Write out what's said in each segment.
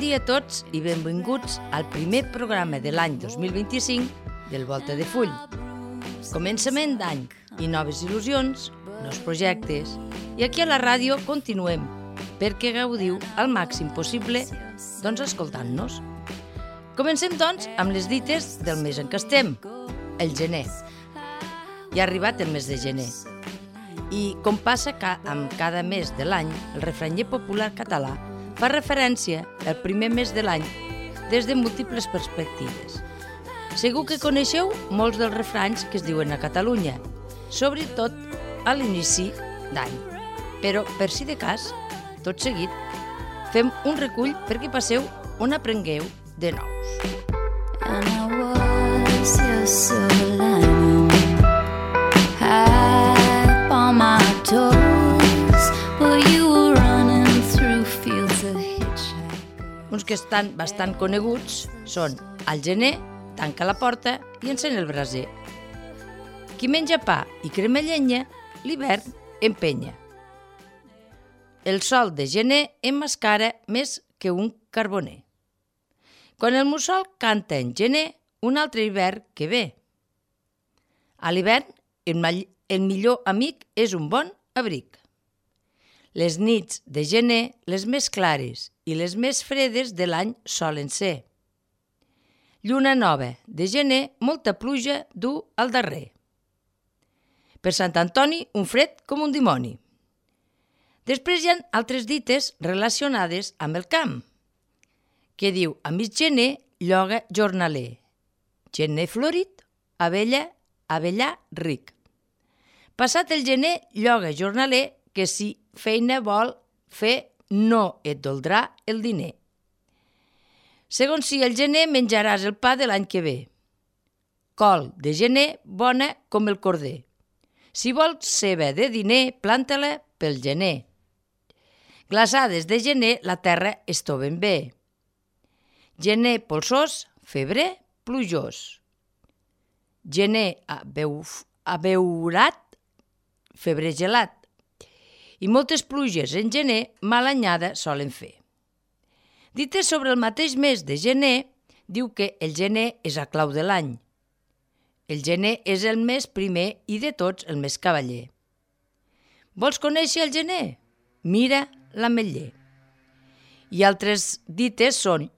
dia a tots i benvinguts al primer programa de l'any 2025 del Volta de Full. Començament d'any i noves il·lusions, nous projectes, i aquí a la ràdio continuem perquè gaudiu al màxim possible escoltant-nos. Comencem amb les dites del mes en què estem, el gener. Ja ha arribat el mes de gener. I com passa amb cada mes de l'any, el refranyer popular català fa referència al primer mes de l'any des de múltiples perspectives. Segur que coneixeu molts dels refranys que es diuen a Catalunya, sobretot a l'inici d'any. Però, per si de cas, tot seguit, fem un recull perquè passeu on aprengueu de nous. And I was your silver lining, high on my toes, while you were running through fields of hitchhikers. Uns que estan bastant coneguts són al gener, tanca la porta i encén el braser. Qui menja pa i crema llenya, l'hivern empenya. El sol de gener emmascara més que un carboner. Quan el mussol canta en gener, un altre hivern que ve. A l'hivern, el millor amic és un bon abric. Les nits de gener, les més clares i les més fredes de l'any solen ser. Lluna nova de gener, molta pluja du al darrer. Per Sant Antoni, un fred com un dimoni. Després hi ha altres dites relacionades amb el camp, que diu a mig gener, lloga jornaler. Gener florit, abellà ric. Passat el gener, lloga jornaler, que si feina vol fer, no et doldrà el diner. Segons si el gener menjaràs el pa de l'any que ve. Col de gener, bona com el corder. Si vols ceba de diner, planta-la pel gener. Glaçades de gener, la terra estoven bé. Gener polsós, febrer plujós. Gener abeurat, febrer gelat. I moltes pluges en gener mala anyada solen fer. Dites sobre el mateix mes de gener, diu que el gener és a clau de l'any. El gener és el mes primer i de tots el més cavaller. Vols conèixer el gener? Mira l'ametller. I altres dites són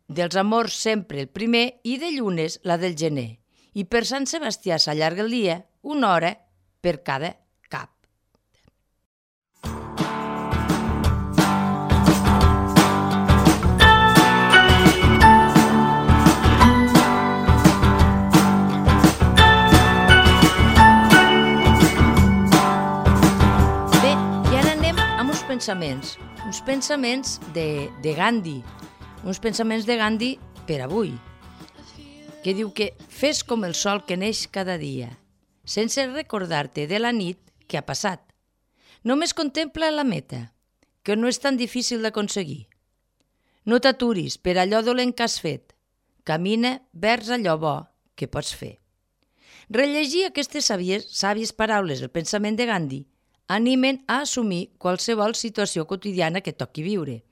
dels amors sempre el primer i de llunes la del gener. I per Sant Sebastià s'allarga el dia, una hora per cada cap. Bé, i ara anem amb uns pensaments de Gandhi, uns pensaments de Gandhi per avui, que diu que fes com el sol que neix cada dia, sense recordar-te de la nit que ha passat. Només contempla la meta, que no és tan difícil d'aconseguir. No t'aturis per allò dolent que has fet, camina vers allò bo que pots fer. Rellegir aquestes sàvies paraules del pensament de Gandhi animen a assumir qualsevol situació quotidiana que toqui viure.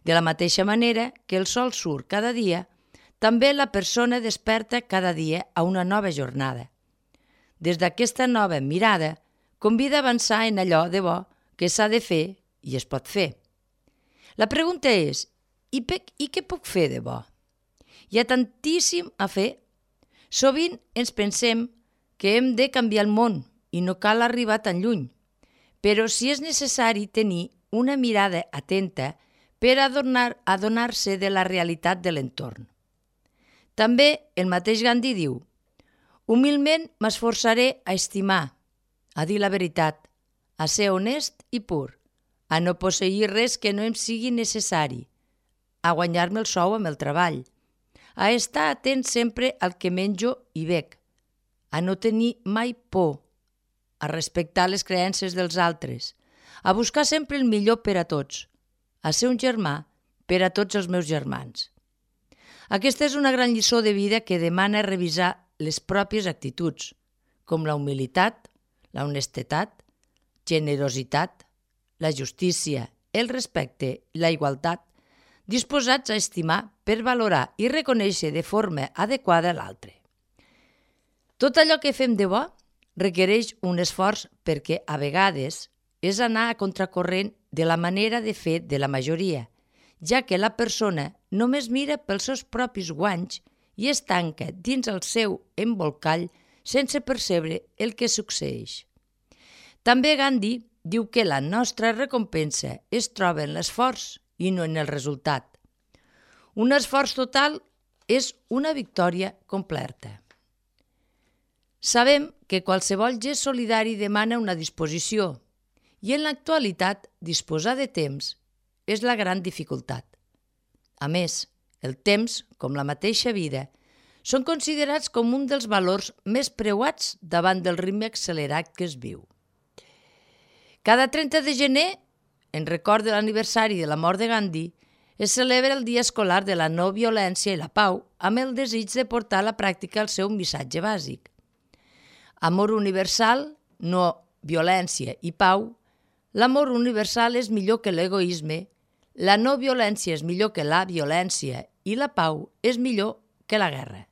De la mateixa manera que el sol surt cada dia, també la persona desperta cada dia a una nova jornada. Des d'aquesta nova mirada, convida a avançar en allò de bo que s'ha de fer i es pot fer. La pregunta és, i què puc fer de bo? Hi ha tantíssim a fer. Sovint ens pensem que hem de canviar el món i no cal arribar tan lluny, però si és necessari tenir una mirada atenta per adonar-se de la realitat de l'entorn. També el mateix Gandhi diu: humilment m'esforçaré a estimar, a dir la veritat, a ser honest i pur, a no posseir res que no em sigui necessari, a guanyar-me el sou amb el treball, a estar atent sempre al que menjo i bec, a no tenir mai por, a respectar les creences dels altres, a buscar sempre el millor per a tots, a ser un germà per a tots els meus germans. Aquesta és una gran lliçó de vida que demana revisar les pròpies actituds, com la humilitat, la honestedat, generositat, la justícia, el respecte, la igualtat, disposats a estimar per valorar i reconèixer de forma adequada l'altre. Tot allò que fem de bo requereix un esforç perquè a vegades és anar a contracorrent de la manera de fer de la majoria, ja que la persona només mira pels seus propis guanys i es tanca dins el seu embolcall sense percebre el que succeeix. També Gandhi diu que la nostra recompensa es troba en l'esforç i no en el resultat. Un esforç total és una victòria completa. Sabem que qualsevol gest solidari demana una disposició i en l'actualitat disposar de temps és la gran dificultat. A més, el temps, com la mateixa vida, són considerats com un dels valors més preuats davant del ritme accelerat que es viu. Cada 30 de gener, en record de l'aniversari de la mort de Gandhi, es celebra el Dia Escolar de la No Violència i la Pau amb el desig de portar a la pràctica el seu missatge bàsic. Amor universal, no violència i pau. L'amor universal és millor que l'egoisme, la no violència és millor que la violència i la pau és millor que la guerra.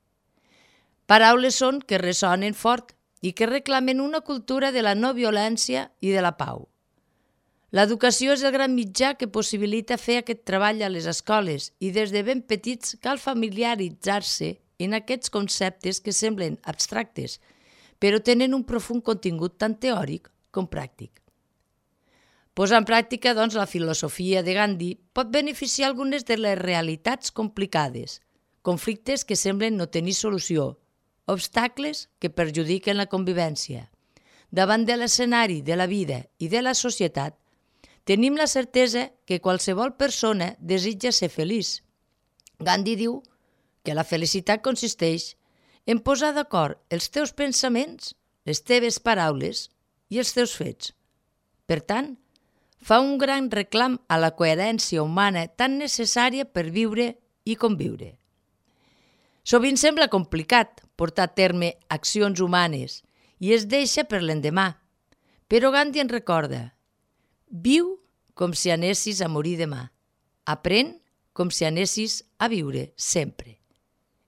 Paraules són que ressonen fort i que reclamen una cultura de la no violència i de la pau. L'educació és el gran mitjà que possibilita fer aquest treball a les escoles i des de ben petits cal familiaritzar-se en aquests conceptes que semblen abstractes, però tenen un profund contingut tant teòric com pràctic. Posar en pràctica, doncs, la filosofia de Gandhi pot beneficiar algunes de les realitats complicades, conflictes que semblen no tenir solució, obstacles que perjudiquen la convivència. Davant de l'escenari de la vida i de la societat, tenim la certesa que qualsevol persona desitja ser feliç. Gandhi diu que la felicitat consisteix en posar d'acord els teus pensaments, les teves paraules i els teus fets. Per tant, fa un gran reclam a la coherència humana tan necessària per viure i conviure. Sovint sembla complicat portar a terme accions humanes i es deixa per l'endemà, però Gandhi ens recorda: viu com si anessis a morir demà, aprèn com si anessis a viure sempre.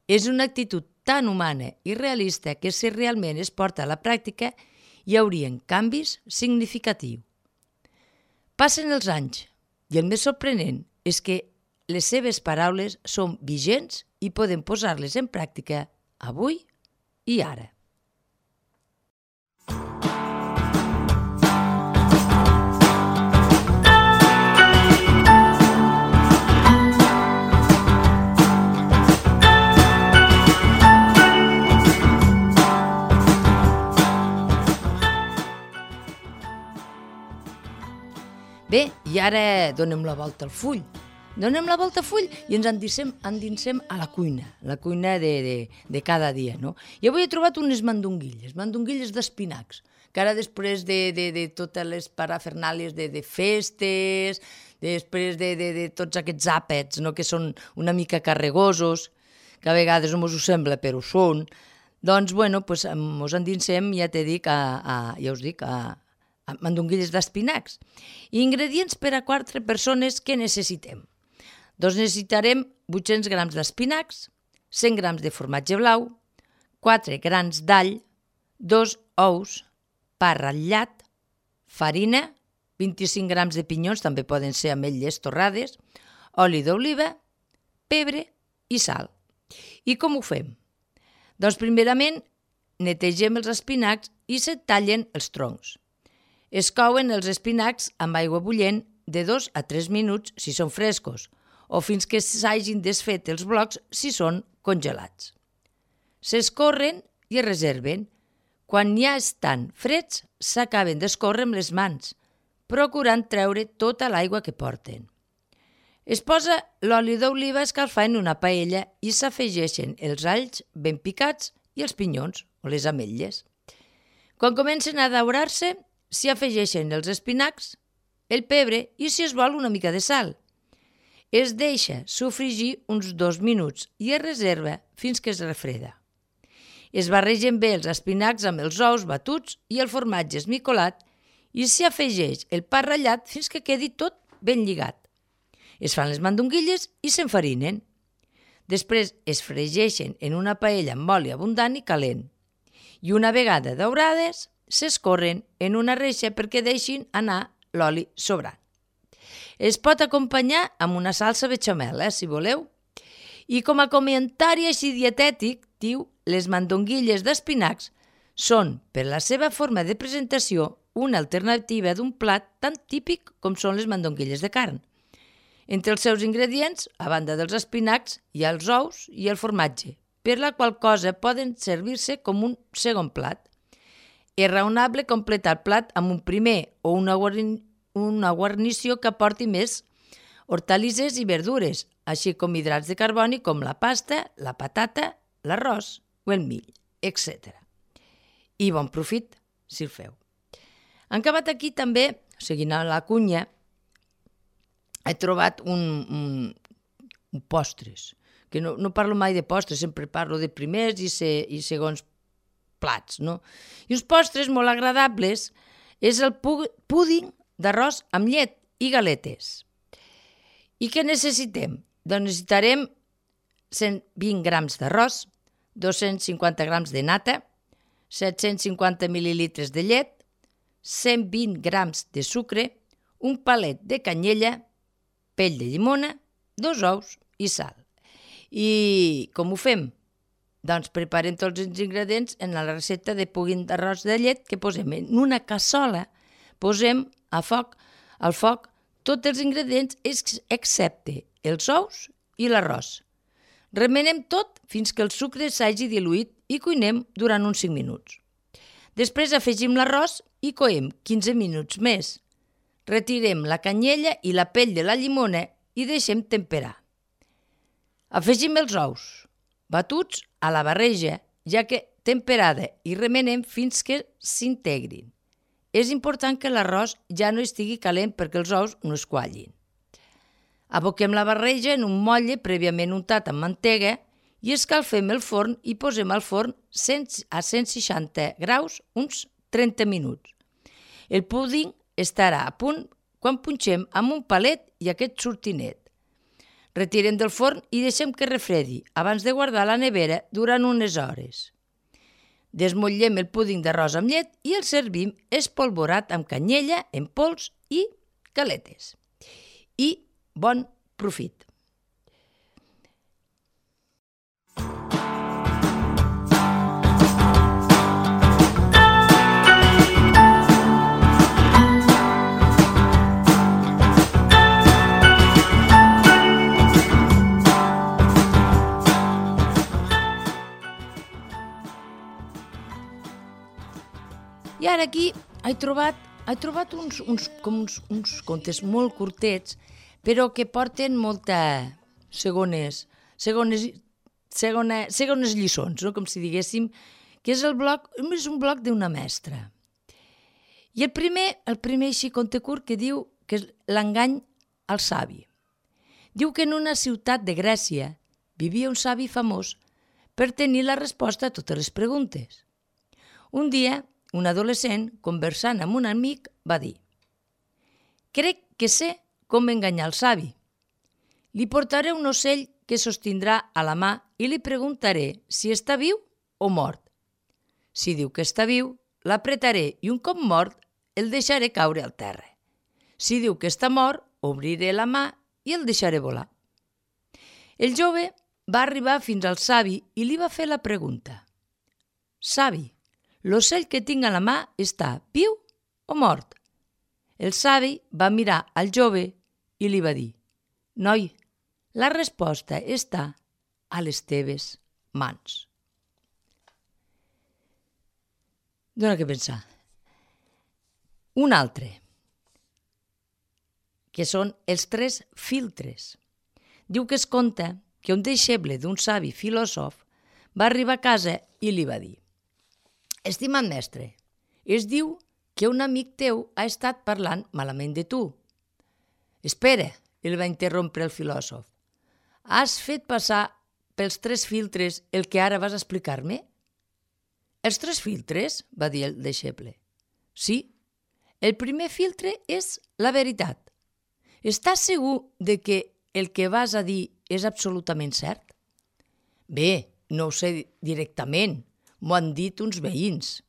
És una actitud tan humana i realista que si realment es porta a la pràctica hi haurien canvis significatius. Passen els anys i el més sorprenent és que les seves paraules són vigents i podem posar-les en pràctica avui i ara. Bé, i ara donem la volta al full. Donem la volta al full i ens endinsem a la cuina de cada dia, no? I avui he trobat unes mandonguilles d'espinacs, que ara després de totes les parafernàlies de festes, després de tots aquests àpats, no?, que són una mica carregosos, que a vegades no us ho sembla, però ho són, doncs, bueno, mos endinsem, ja t'he dit, a mandonguilles d'espinacs. Ingredients per a 4 persones que necessitem. Doncs necessitarem 800 grams d'espinacs, 100 grams de formatge blau, 4 grans d'all, 2 ous, pa ratllat, farina, 25 grams de pinyons, també poden ser ametlles torrades, oli d'oliva, pebre i sal. I com ho fem? Doncs primerament netegem els espinacs i se tallen els troncs. Es couen els espinacs amb aigua bullent de 2 a 3 minuts si són frescos o fins que s'hagin desfet els blocs si són congelats. S'escorren i es reserven. Quan ja estan freds, s'acaben d'escórrer amb les mans, procurant treure tota l'aigua que porten. Es posa l'oli d'oliva a escalfar en una paella i s'afegeixen els alls ben picats i els pinyons o les ametlles. Quan comencen a daurar-se, s'hi afegeixen els espinacs, el pebre i, si es vol, una mica de sal. Es deixa sofregir uns 2 minuts i es reserva fins que es refreda. Es barregen bé els espinacs amb els ous batuts i el formatge esmicolat i s'hi afegeix el pa ratllat fins que quedi tot ben lligat. Es fan les mandonguilles i s'enfarinen. Després es fregeixen en una paella amb oli abundant i calent. I una vegada daurades, s'escorren en una reixa perquè deixin anar l'oli sobrant. Es pot acompanyar amb una salsa bechamel, si voleu. I com a comentari així dietètic, diu, les mandonguilles d'espinacs són, per la seva forma de presentació, una alternativa d'un plat tan típic com són les mandonguilles de carn. Entre els seus ingredients, a banda dels espinacs, hi ha els ous i el formatge, per la qual cosa poden servir-se com un segon plat. És raonable completar el plat amb un primer o una guarnició que aporti més hortalisses i verdures, així com hidrats de carboni com la pasta, la patata, l'arròs o el mill, etc. I bon profit, si el feu. Han acabat aquí també, seguint a la cunya, he trobat un postres, que no parlo mai de postres, sempre parlo de primers i segons plats, no? I uns postres molt agradables és el púding d'arròs amb llet i galetes. I què necessitem? Doncs necessitarem 120 grams d'arròs, 250 grams de nata, 750 mil·lilitres de llet, 120 grams de sucre, un palet de canyella, pell de llimona, 2 ous i sal. I com ho fem? Doncs preparem tots els ingredients en la recepta de púding d'arròs de llet que posem en una cassola, posem al foc tots els ingredients excepte els ous i l'arròs. Remenem tot fins que el sucre s'hagi diluït i cuinem durant uns 5 minuts. Després afegim l'arròs i coem 15 minuts més. Retirem la canyella i la pell de la llimona i deixem temperar. Afegim els ous, batuts a la barreja, ja que temperada, i remenem fins que s'integrin. És important que l'arròs ja no estigui calent perquè els ous no es quallin. Aboquem la barreja en un motlle prèviament untat amb mantega i escalfem el forn i posem al forn a 160 graus uns 30 minuts. El púding estarà a punt quan punxem amb un palet i aquest sortinet. Retirem del forn i deixem que refredi abans de guardar a la nevera durant unes hores. Desmotllem el púding d'arròs amb llet i el servim espolvorat amb canyella en pols i galetes. I bon profit! I ara aquí he trobat uns contes molt curtets, però que porten molta segones lliçons, no? Com si diguéssim, que és un blog d'una mestra. I el primer així conte curt que diu que és l'engany al savi. Diu que en una ciutat de Grècia vivia un savi famós per tenir la resposta a totes les preguntes. Un dia, un adolescent, conversant amb un amic, va dir: «Crec que sé com enganyar el savi. Li portaré un ocell que sostindrà a la mà i li preguntaré si està viu o mort. Si diu que està viu, l'apretaré i un cop mort el deixaré caure al terra. Si diu que està mort, obriré la mà i el deixaré volar». El jove va arribar fins al savi i li va fer la pregunta: «Savi, l'ocell que tinc a la mà està viu o mort?» El savi va mirar al jove i li va dir: «Noi, la resposta està a les teves mans». Dóna que pensar. Un altre, que són els 3 filtres. Diu que es conta que un deixeble d'un savi filòsof va arribar a casa i li va dir: «Estimat mestre, es diu que un amic teu ha estat parlant malament de tu». «Espera», el va interrompre el filòsof. «Has fet passar pels 3 filtres el que ara vas a explicar-me?» «Els 3 filtres?», va dir el deixeble. «Sí, el primer filtre és la veritat. Estàs segur de que el que vas a dir és absolutament cert? Bé, no ho sé directament, m'ho han dit uns veïns.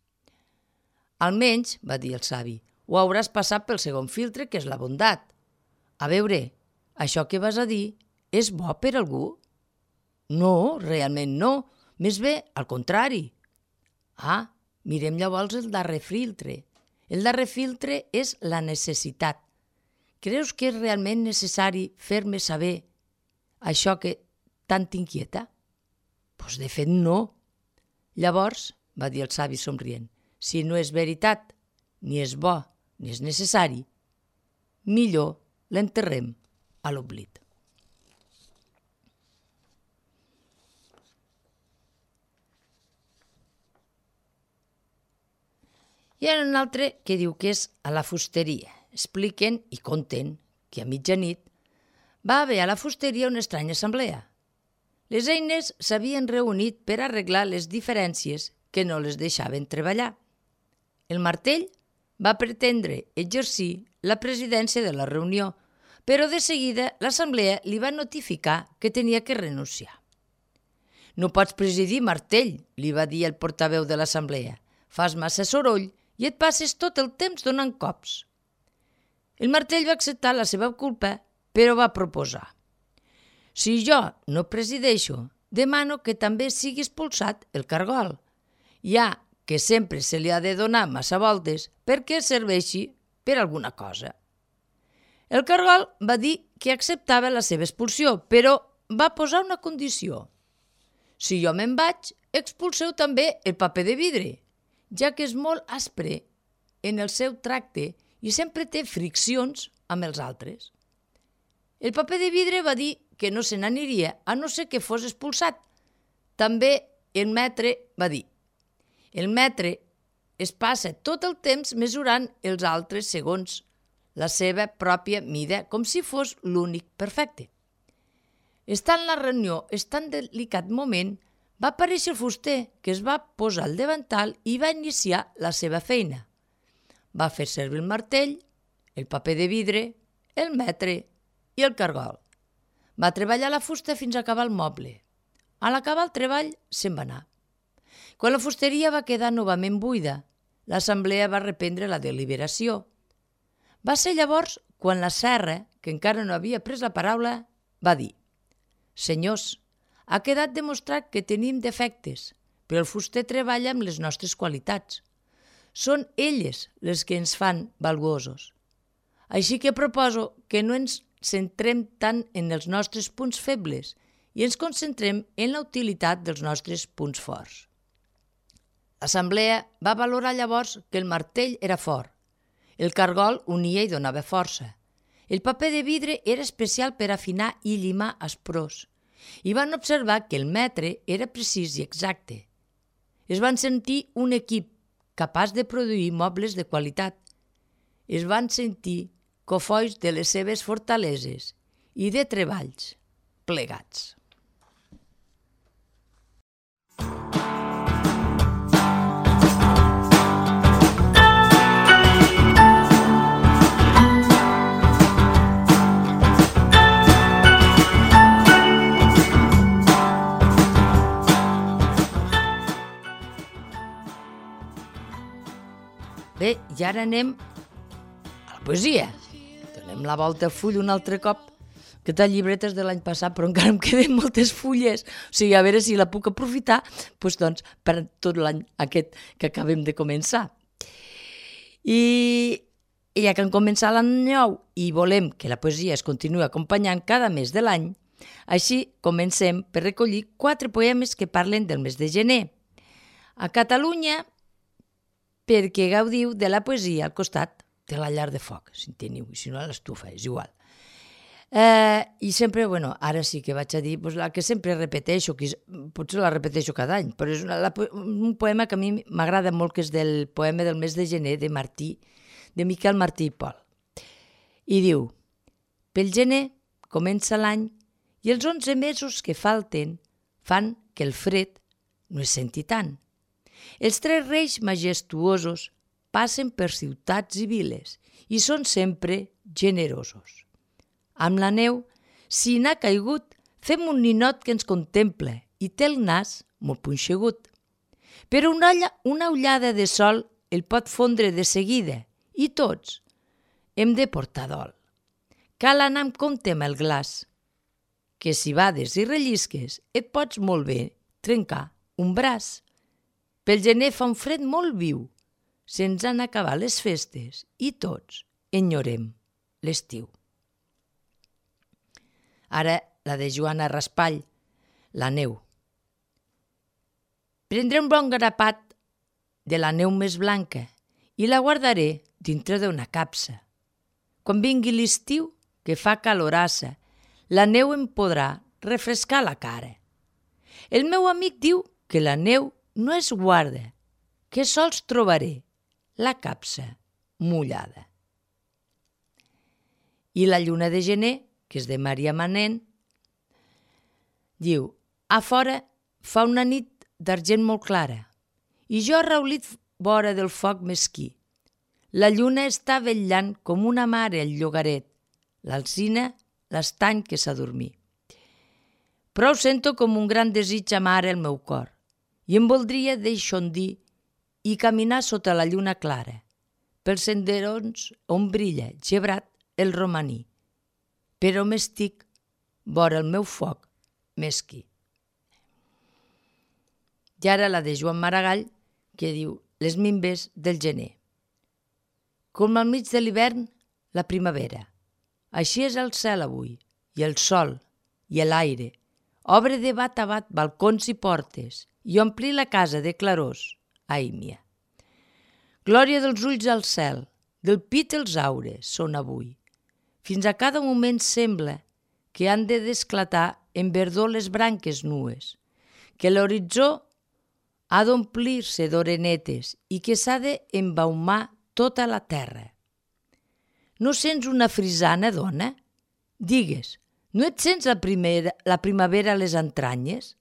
Almenys, va dir el savi, ho hauràs passat pel segon filtre, que és la bondat. A veure, això que vas a dir és bo per algú? No, realment no, més bé al contrari. Ah, mirem llavors el darrer filtre. El darrer filtre és la necessitat. Creus que és realment necessari fer-me saber això que tant t'inquieta? Doncs de fet no. Llavors, va dir el savi somrient, si no és veritat, ni és bo, ni és necessari, millor l'enterrem a l'oblit. Hi ha un altre que diu que és a la fusteria. Expliquen i conten que a mitjanit va haver a la fusteria una estranya assemblea. Les eines s'havien reunit per arreglar les diferències que no les deixaven treballar. El martell va pretendre exercir la presidència de la reunió, però de seguida l'assemblea li va notificar que tenia que renunciar. «No pots presidir, martell», li va dir el portaveu de l'assemblea. «Fas massa soroll i et passes tot el temps donant cops». El martell va acceptar la seva culpa, però va proposar: «Si jo no presideixo, demano que també sigui expulsat el cargol, ja que sempre se li ha de donar massa voltes perquè serveixi per alguna cosa». El cargol va dir que acceptava la seva expulsió, però va posar una condició: «Si jo me'n vaig, expulseu també el paper de vidre, ja que és molt aspre en el seu tracte i sempre té friccions amb els altres». El paper de vidre va dir que no se n'aniria a no ser que fos expulsat. També el metre va dir: «El metre es passa tot el temps mesurant els altres segons la seva pròpia mida, com si fos l'únic perfecte». Estant la reunió, tan delicat moment, va aparèixer el fuster, que es va posar al davantal i va iniciar la seva feina. Va fer servir el martell, el paper de vidre, el metre i el cargol. Va treballar la fusta fins a acabar el moble. A l'acabar el treball, se'n va anar. Quan la fusteria va quedar novament buida, l'assemblea va reprendre la deliberació. Va ser llavors quan la serra, que encara no havia pres la paraula, va dir: «Senyors, ha quedat demostrat que tenim defectes, però el fuster treballa amb les nostres qualitats. Són elles les que ens fan valuosos. Així que proposo que no ens centrem tant en els nostres punts febles i ens concentrem en la utilitat dels nostres punts forts». L'assemblea va valorar llavors que el martell era fort, el cargol unia i donava força, el paper de vidre era especial per afinar i llimar asprors, i van observar que el metre era precís i exacte. Es van sentir un equip capaç de produir mobles de qualitat. Es van sentir cofois de les seves fortaleses i de treballs plegats. Bé, i ara anem a la poesia. Donem la volta al full un altre cop. Aquesta llibreta és de l'any passat, però encara em queden moltes fulles. O sigui, a veure si la puc aprofitar doncs, per tot l'any aquest que acabem de començar. I ja que hem començat l'any nou i volem que la poesia es continuï acompanyant cada mes de l'any, així comencem per recollir 4 poemes que parlen del mes de gener. A Catalunya, perquè gaudiu de la poesia al costat de la llar de foc, si en teniu, i si no a l'estufa, és igual. I sempre, ara sí que vaig a dir la que sempre repeteixo, que potser la repeteixo cada any, però és un poema que a mi m'agrada molt, que és del poema del mes de gener de Miquel Martí i Pol. I diu: «Pel gener comença l'any i els 11 mesos que falten fan que el fred no es senti tant. Els 3 reis majestuosos passen per ciutats i viles i són sempre generosos. Amb la neu, si n'ha caigut, fem un ninot que ens contemple i té el nas molt punxegut. Però una ullada de sol el pot fondre de seguida i tots hem de portar dol. Cal anar amb compte amb el glaç, que si bades i rellisques et pots molt bé trencar un braç. Pel gener fa un fred molt viu, se'ns han acabat les festes i tots enyorem l'estiu. Ara la de Joana Raspall, la neu. Prendré un bon grapat de la neu més blanca i la guardaré dintre d'una capsa. Quan vingui l'estiu, que fa calorassa, la neu em podrà refrescar la cara. El meu amic diu que la neu no es guarda, que sols trobaré la capsa mullada. I la lluna de gener, que és de Maria Manent, diu: a fora fa una nit d'argent molt clara i jo arraulit vora del foc mesquí. La lluna està vetllant com una mare al llogaret, l'alzina l'estany que s'adormí. Però sento com un gran desig amar el meu cor i em voldria deixondir i caminar sota la lluna clara, pels senderons on brilla, gebrat, el romaní. Però m'estic vora el meu foc mesquí. I ara la de Joan Maragall, que diu les minves del gener. Com al mig de l'hivern, la primavera. Així és el cel avui, i el sol, i l'aire. Obre de bat a bat balcons i portes i omplir la casa de clarors, ai mia. Glòria dels ulls al cel, del pit els aures són avui. Fins a cada moment sembla que han de desclatar en verdor les branques nues, que l'horitzó ha d'omplir-se d'orenetes i que s'ha d'embaumar tota la terra. No sents una frisana, dona? Digues, no et sents la primavera a les entranyes?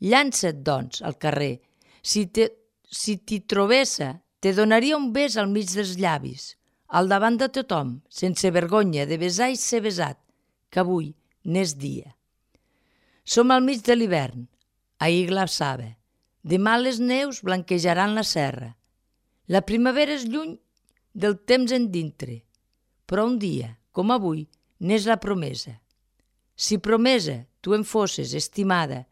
Llança't, doncs, al carrer. Si t'hi trobessa, te donaria un bes al mig dels llavis, al davant de tothom, sense vergonya de besar i ser besat, que avui n'és dia. Som al mig de l'hivern, ahir glaçava. Demà les neus blanquejaran la serra. La primavera és lluny del temps endintre, però un dia, com avui, n'és la promesa. Si promesa tu em fosses estimada,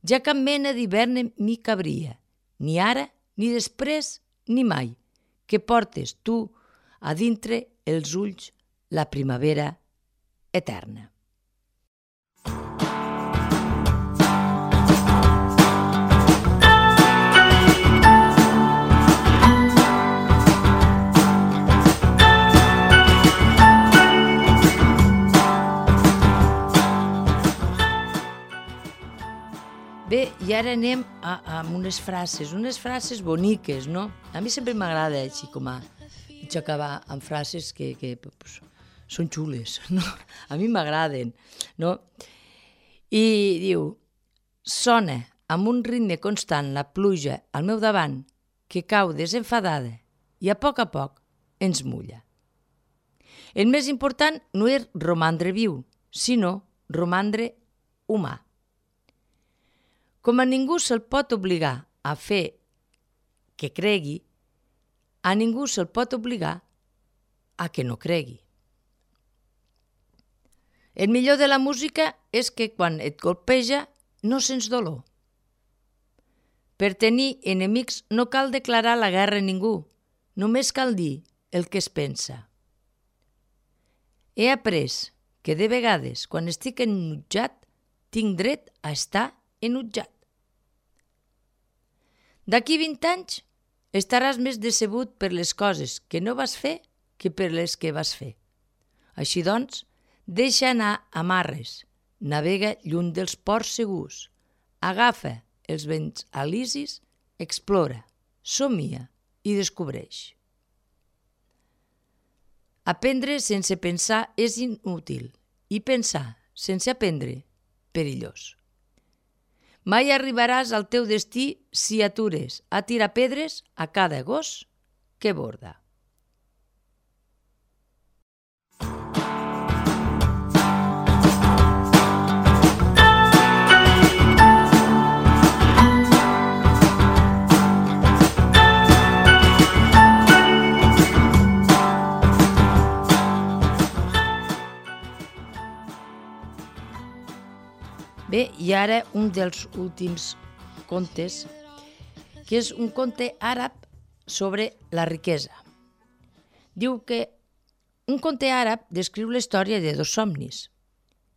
ja cap mena d'hivern m'hi cabria, ni ara, ni després, ni mai, que portes tu a dintre els ulls la primavera eterna. Bé, i ara anem a unes frases boniques, no? A mi sempre m'agrada així com a acabar amb frases que pues, són xules, no? A mi m'agraden, no? I diu, sona amb un ritme constant la pluja al meu davant que cau desenfadada i a poc ens mulla. El més important no és romandre viu, sinó romandre humà. Com a ningú se'l pot obligar a fer que cregui, a ningú se'l pot obligar a que no cregui. El millor de la música és que quan et colpeja no sents dolor. Per tenir enemics no cal declarar la guerra a ningú, només cal dir el que es pensa. He après que de vegades, quan estic enutjat, tinc dret a estar enutjat. D'aquí 20 anys estaràs més decebut per les coses que no vas fer que per les que vas fer. Així doncs, deixa anar amarres, navega lluny dels ports segurs, agafa els vents alisis, explora, somia i descobreix. Aprendre sense pensar és inútil i pensar sense aprendre, perillós. Mai arribaràs al teu destí si atures a tirar pedres a cada gos que borda. Bé, i ara un dels últims contes, que és un conte àrab sobre la riquesa. Diu que un conte àrab descriu la història de dos somnis.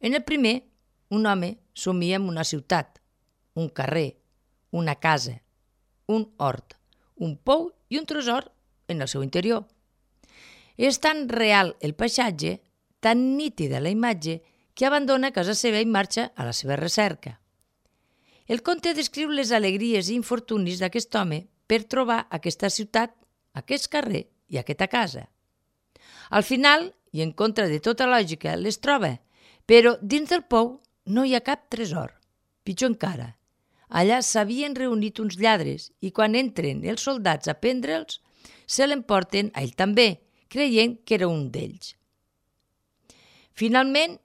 En el primer, un home somia en una ciutat, un carrer, una casa, un hort, un pou i un tresor en el seu interior. És tan real el paisatge, tan nítida la imatge, que abandona casa seva i marxa a la seva recerca. El conte descriu les alegries i infortunis d'aquest home per trobar aquesta ciutat, aquest carrer i aquesta casa. Al final, i en contra de tota lògica, les troba, però dins del pou no hi ha cap tresor. Pitjor encara, allà s'havien reunit uns lladres i quan entren els soldats a prendre'ls, se l'emporten a ell també, creient que era un d'ells. Finalment,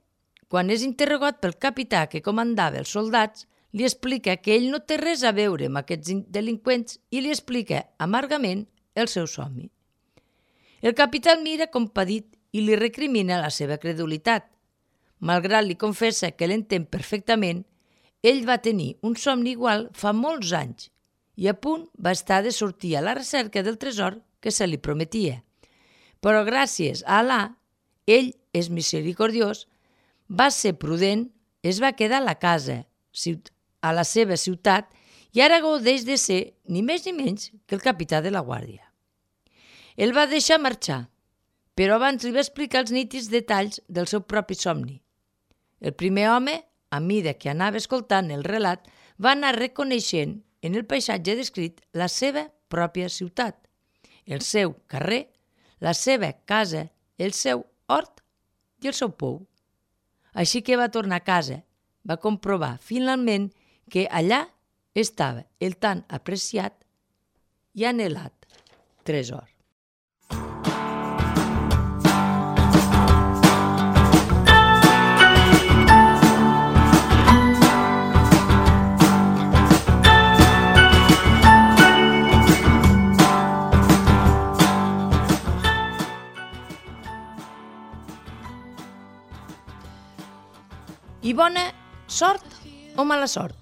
quan és interrogat pel capità que comandava els soldats, li explica que ell no té res a veure amb aquests delinqüents i li explica amargament el seu somni. El capità el mira compadit i li recrimina la seva credulitat. Malgrat li confessa que l'entén perfectament, ell va tenir un somni igual fa molts anys i a punt va estar de sortir a la recerca del tresor que se li prometia. Però gràcies a Allà, ell és misericordiós, va ser prudent, es va quedar a la casa, a la seva ciutat, i ara gaudeix de ser ni més ni menys que el capità de la guàrdia. El va deixar marxar, però abans li va explicar els nítids detalls del seu propi somni. El primer home, a mida que anava escoltant el relat, va anar reconeixent en el paisatge descrit la seva pròpia ciutat, el seu carrer, la seva casa, el seu hort i el seu pou. Així que va tornar a casa, va comprovar finalment que allà estava el tan apreciat i anhelat tresor. I bona sort o mala sort?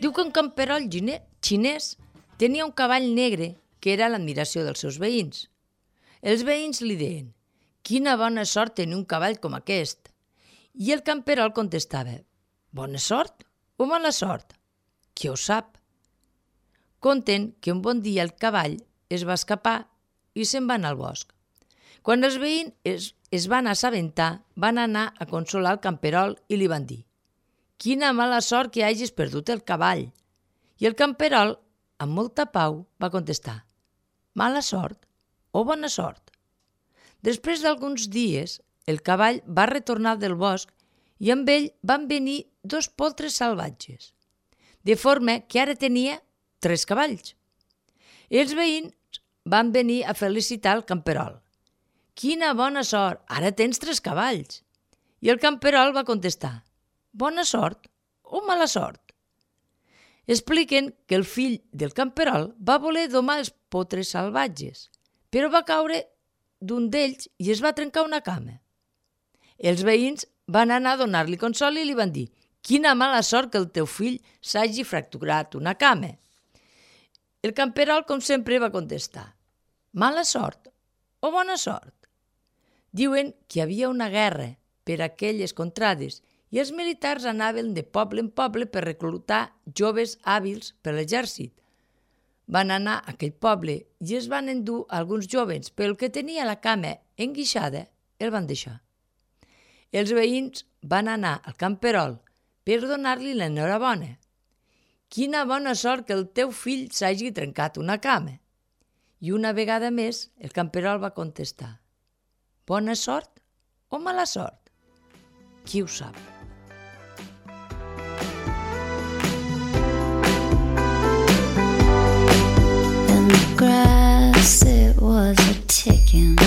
Diu que un camperol xinès tenia un cavall negre que era l'admiració dels seus veïns. Els veïns li deien: «Quina bona sort tenir un cavall com aquest!» I el camperol contestava: «Bona sort o mala sort? Qui ho sap?» Conten que un bon dia el cavall es va escapar i se'n va anar al bosc. Quan els veïns es van assabentar, van anar a consolar el camperol i li van dir: «Quina mala sort que hagis perdut el cavall!» I el camperol, amb molta pau, va contestar: «Mala sort o bona sort?» Després d'alguns dies, el cavall va retornar del bosc i amb ell van venir 2 poltres salvatges, de forma que ara tenia 3 cavalls. Els veïns van venir a felicitar el camperol. «Quina bona sort! Ara tens 3 cavalls!» I el camperol va contestar: «Bona sort o mala sort?» Expliquen que el fill del camperol va voler domar els potres salvatges, però va caure d'un d'ells i es va trencar una cama. Els veïns van anar a donar-li consol i li van dir: «Quina mala sort que el teu fill s'hagi fracturat una cama!» El camperol, com sempre, va contestar: «Mala sort o bona sort?» Diuen que hi havia una guerra per aquelles contrades i els militars anaven de poble en poble per reclutar joves hàbils per l'exèrcit. Van anar a aquell poble i es van endur alguns jovens, però el que tenia la cama enguixada el van deixar. Els veïns van anar al camperol per donar-li l'enhorabona. «Quina bona sort que el teu fill s'hagi trencat una cama!» I una vegada més el camperol va contestar: «Bona sort o mala sort? Qui ho sap?» In the grass it was a ticking,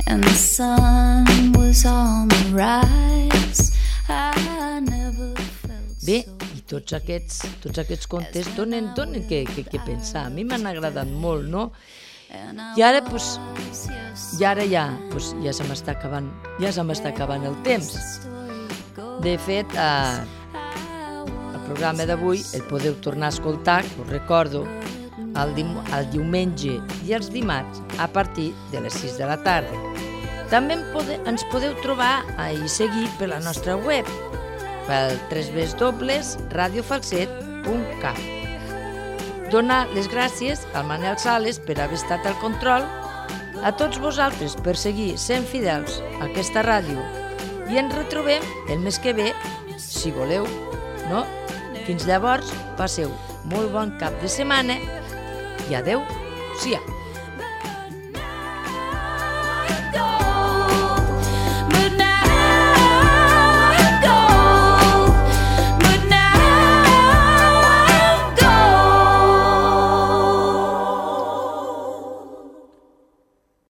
and the sun was on the rise. I never felt Bé, so i tots aquests contes donen que pensar. A mi m'han agradat molt, no? I ara, ja se m'està acabant el temps. De fet, programa d'avui el podeu tornar a escoltar, us recordo, el diumenge i els dimarts a partir de les 6 de la tarda. També ens podeu trobar i seguir per la nostra web, pel www.radiofalset.cat. Donar les gràcies al Manel Sales per haver estat al control, a tots vosaltres per seguir sent fidels a aquesta ràdio i ens retrobem el mes que ve, si voleu, no? Fins llavors, passeu molt bon cap de setmana i adeu-siau.